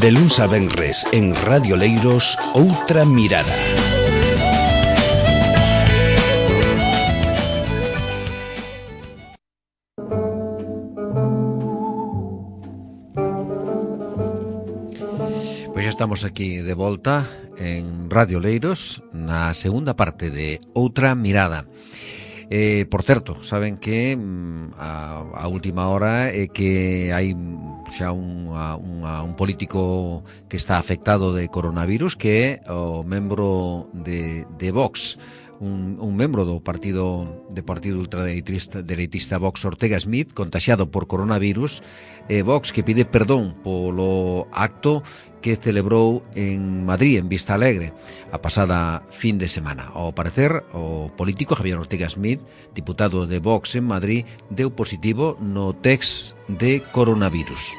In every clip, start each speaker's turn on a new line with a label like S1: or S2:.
S1: De luns a venres en Radio Leiros, Outra Mirada.
S2: Pois xa estamos aquí de volta en Radio Leiros na segunda parte de Outra Mirada. Por certo, saben que a última hora é que hai xa un político que está afectado de coronavirus, que é o membro de Vox, un membro do partido ultradereitista Vox, Ortega Smith, contaxiado por coronavirus. Vox que pide perdón polo acto que celebrou en Madrid, en Vista Alegre, a pasada fin de semana. Ao parecer, o político Javier Ortega Smith, diputado de Vox en Madrid, deu positivo no test de coronavirus.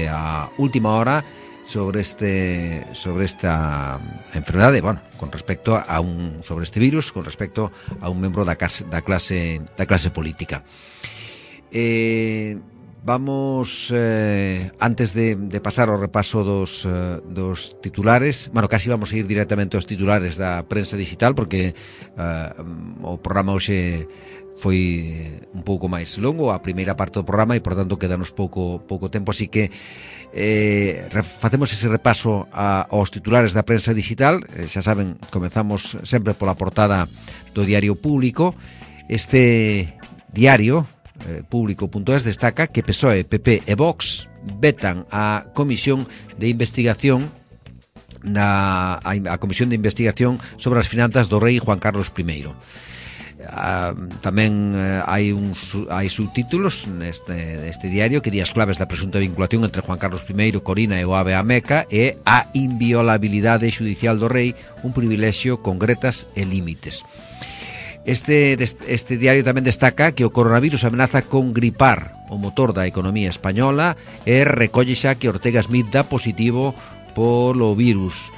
S2: A última hora sobre esta enfermedade, bueno, con respecto a sobre este virus, con respecto a un membro da clase política. Vamos, antes de pasar ao repaso dos titulares, bueno, casi vamos a ir directamente aos titulares da prensa digital, porque o programa hoxe foi un pouco máis longo, a primeira parte do programa, e, por tanto, quedanos pouco tempo, así que facemos ese repaso aos titulares da prensa digital. Xa saben, comezamos sempre pola portada do Diario Público. Este diario Público.es destaca que PSOE, PP e Vox vetan a comisión de investigación a comisión de investigación sobre as finanzas do rei Juan Carlos I. Tamén hai subtítulos neste diario que di as claves da presunta vinculación entre Juan Carlos I, Corina e o Ave a Meca, e a inviolabilidade xudicial do rei, un privilexio con gretas e límites. Este diario tamén destaca que o coronavirus amenaza con gripar o motor da economía española e recolle xa que Ortega Smith dá positivo polo virus.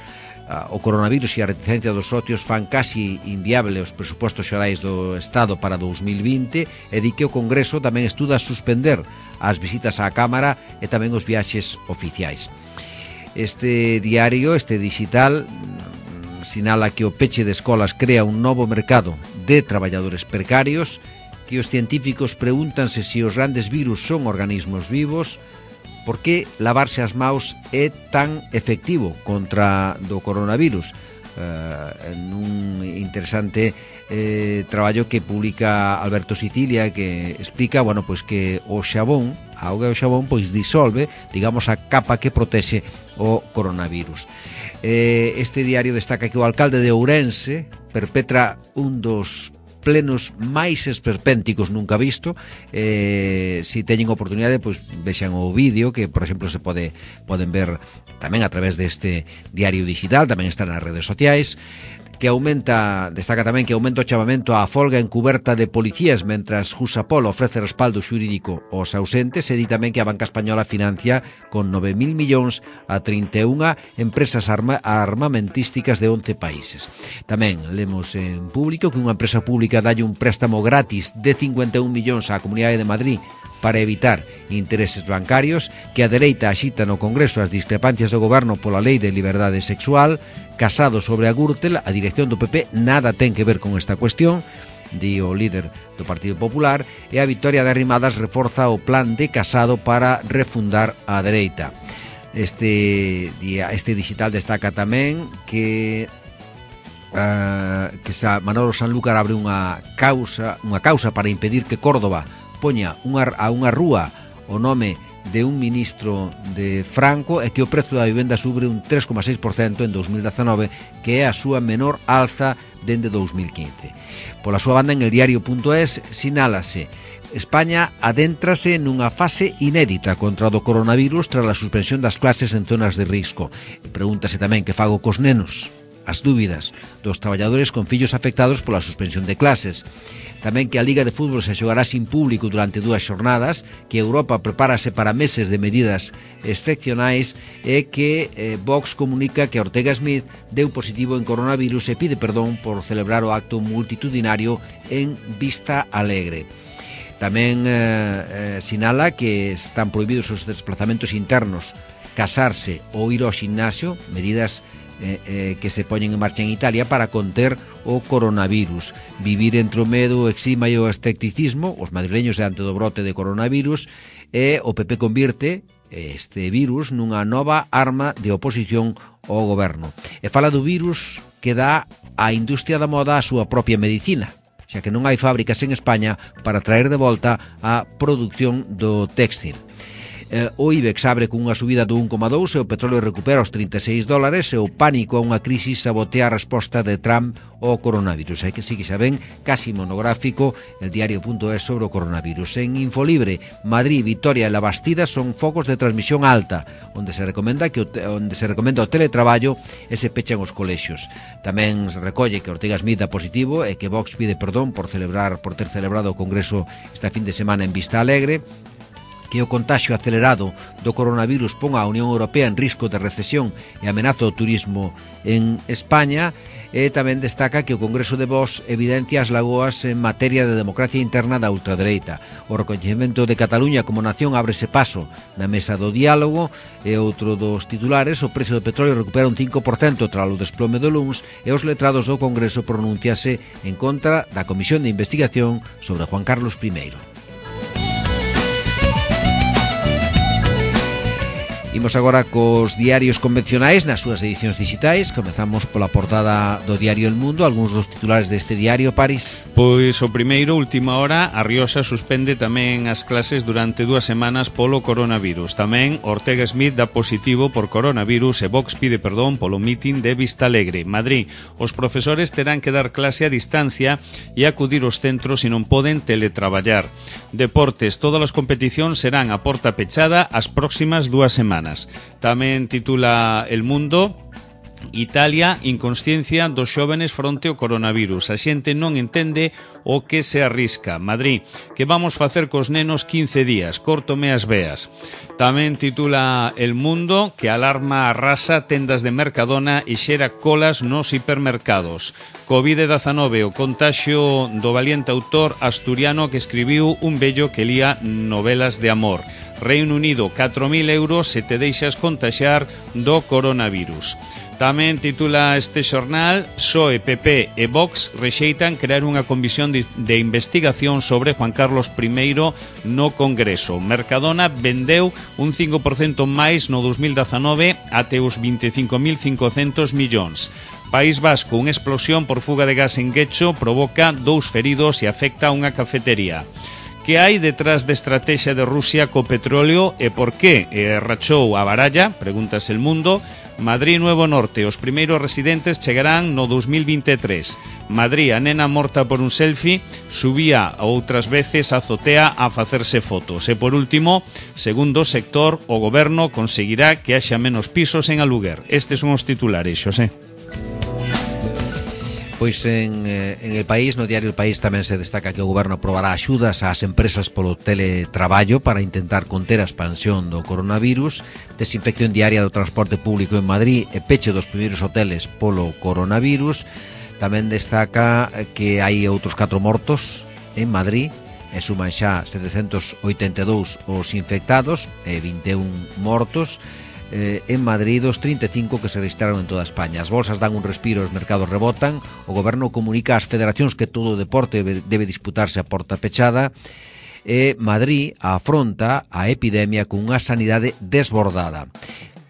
S2: O coronavirus e a reticencia dos socios fan casi inviable os presupostos xerais do Estado para 2020, e di que o Congreso tamén estuda suspender as visitas á Cámara e tamén os viaxes oficiais. Este diario, este digital, sinala que o peche de escolas crea un novo mercado de traballadores precarios, que os científicos pregúntanse se os grandes virus son organismos vivos, por que lavarse as maus é tan efectivo contra do coronavirus. Nun interesante traballo que publica Alberto Sicilia, que explica, bueno, pois que o xabón, a auga do xabón, pois disolve, digamos, a capa que protexe o coronavirus. Este diario destaca que o alcalde de Ourense perpetra un dos plenos máis esperpénticos nunca visto. Se teñen oportunidade, pois vexan o vídeo, que, por exemplo, se poden ver tamén a través deste diario digital, tamén está nas redes sociais. Destaca tamén que aumenta o chamamento á folga encuberta de policías, mentras Jusapol ofrece respaldo xurídico aos ausentes, e di tamén que a banca española financia con 9.000 millóns a 31 empresas armamentísticas de 11 países. Tamén lemos en Público que unha empresa pública dalle un préstamo gratis de 51 millóns á Comunidade de Madrid para evitar intereses bancarios, que a dereita axita no Congreso as discrepancias do goberno pola lei de liberdade sexual. Casado sobre a Gürtel, a dirección do PP nada ten que ver con esta cuestión, di o líder do Partido Popular, e a vitoria de Arrimadas reforza o plan de Casado para refundar a dereita. Este digital destaca tamén que Manolo Sanlúcar abre unha causa para impedir que Córdoba poña a unha rúa o nome de un ministro de Franco, e que o prezo da vivenda sube un 3,6% en 2019, que é a súa menor alza dende 2015. Pola súa banda, en el diario.es sinálase: España adéntrase nunha fase inédita contra o coronavirus tras a suspensión das clases en zonas de risco. Pregúntase tamén que fago cos nenos. As dúbidas dos traballadores con fillos afectados pola suspensión de clases. Tamén que a Liga de Fútbol se xogará sin público durante 2 xornadas, que Europa prepárase para meses de medidas excepcionais, e que Vox comunica que Ortega Smith deu positivo en coronavirus e pide perdón por celebrar o acto multitudinario en Vista Alegre. Tamén sinala que están prohibidos os desplazamentos internos, casarse ou ir ao ximnasio, medidas que se poñen en marcha en Italia para conter o coronavirus. Vivir entre o medo, o exima e o escepticismo, os madrileños diante do brote de coronavirus, e o PP convirte este virus nunha nova arma de oposición ao goberno. E fala do virus que dá á industria da moda a súa propia medicina, xa que non hai fábricas en España para traer de volta a produción do téxtil. O IBEX abre cunha subida do 1,2 e o petróleo recupera os $36 e o pánico a unha crisis sabotea a resposta de Trump ao coronavirus. É que sí que xa ven, casi monográfico, el diario.es sobre o coronavirus. En Infolibre, Madrid, Vitoria e La Bastida son focos de transmisión alta, onde se recomenda o teletraballo e se pechan os colexios. Tamén se recolle que Ortega Smith dá positivo e que Vox pide perdón por ter celebrado o Congreso esta fin de semana en Vista Alegre, que o contagio acelerado do coronavirus ponga a Unión Europea en risco de recesión e amenaza o turismo en España, e tamén destaca que o Congreso de Vox evidencia as lagoas en materia de democracia interna da ultradereita. O recoñecemento de Cataluña como nación ábrese paso na mesa do diálogo, e outro dos titulares, o precio do petróleo recupera un 5% tras o desplome do luns, e os letrados do Congreso pronunciase en contra da Comisión de Investigación sobre Juan Carlos I. Imos agora cos diarios convencionais nas súas edicións digitais. Comezamos pola portada do diario El Mundo. Algúns dos titulares deste diario, Paris.
S3: Pois o primeiro, última hora, a Rioxa suspende tamén as clases durante 2 semanas polo coronavirus. Tamén Ortega Smith dá positivo por coronavirus e Vox pide perdón polo mitin de Vista Alegre. Madrid, os profesores terán que dar clase a distancia e acudir aos centros e non poden teletraballar. Deportes, todas as competicións serán a porta pechada as próximas 2 semanas. Tamén titula El Mundo: Italia, inconsciencia dos xóvenes fronte ao coronavirus. A xente non entende o que se arrisca. Madrid, que vamos facer cos nenos 15 días? Córtome as veas. Tamén titula El Mundo que alarma arrasa tendas de Mercadona e xera colas nos hipermercados. Covid-19, o contaxio do valiente autor asturiano que escribiu Un vello que lía novelas de amor. Reino Unido, 4.000 euros se te deixas contaxar do coronavirus. Tamén titula este xornal: PSOE, PP e Vox rexeitan crear unha comisión de investigación sobre Juan Carlos I no Congreso. Mercadona vendeu un 5% máis no 2019 até os 25.500 millóns. País Vasco, unha explosión por fuga de gas en Guecho provoca 2 feridos e afecta a unha cafetería. Que hai detrás da estrategia de Rusia co petróleo e por que rachou a baralla? Pregúntase El Mundo. Madrid Nuevo Norte, os primeiros residentes chegarán no 2023. Madrid, a nena morta por un selfie, subía outras veces a azotea a facerse fotos. E por último, segundo o sector, o goberno conseguirá que haxa menos pisos en aluguer. Estes son os titulares, Xosé.
S2: Pois en El País, no diario El País, tamén se destaca que o goberno aprobará axudas ás empresas polo teletraballo para intentar conter a expansión do coronavirus, desinfección diaria do transporte público en Madrid e peche dos primeiros hoteles polo coronavirus. Tamén destaca que hai outros 4 mortos en Madrid e suman xa 782 os infectados e 21 mortos. En Madrid, os 35 que se registraron en toda España. As bolsas dan un respiro, os mercados rebotan. O goberno comunica ás federacións que todo o deporte debe disputarse a porta pechada. E Madrid afronta a epidemia cunha sanidade desbordada.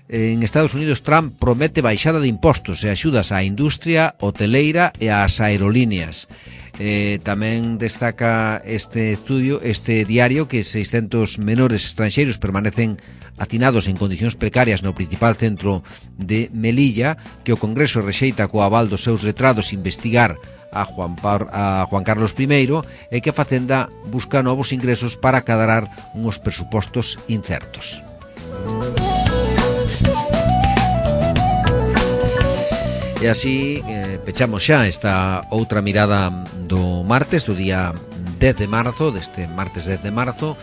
S2: En Estados Unidos, Trump promete baixada de impostos e axudas á industria hoteleira e ás aerolíneas. Tamén destaca este diario que 600 menores estranxeiros permanecen hacinados en condicións precarias no principal centro de Melilla, que o Congreso rexeita co aval dos seus letrados investigar a Juan Carlos I e que a Facenda busca novos ingresos para cadrar uns presupostos incertos. E así pechamos xa esta outra mirada do martes, do día 10 de marzo, deste martes 10 de marzo.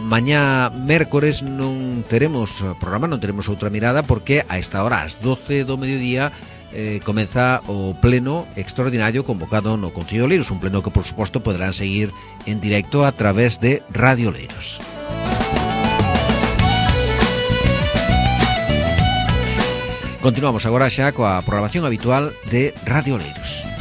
S2: Mañá mércores non teremos programa, non teremos outra mirada, porque a esta hora, ás 12 do mediodía, comeza o pleno extraordinario convocado no Concello de Oleiros, un pleno que por suposto poderán seguir en directo a través de Radio Oleiros. Continuamos agora xa coa programación habitual de Radio Oleiros.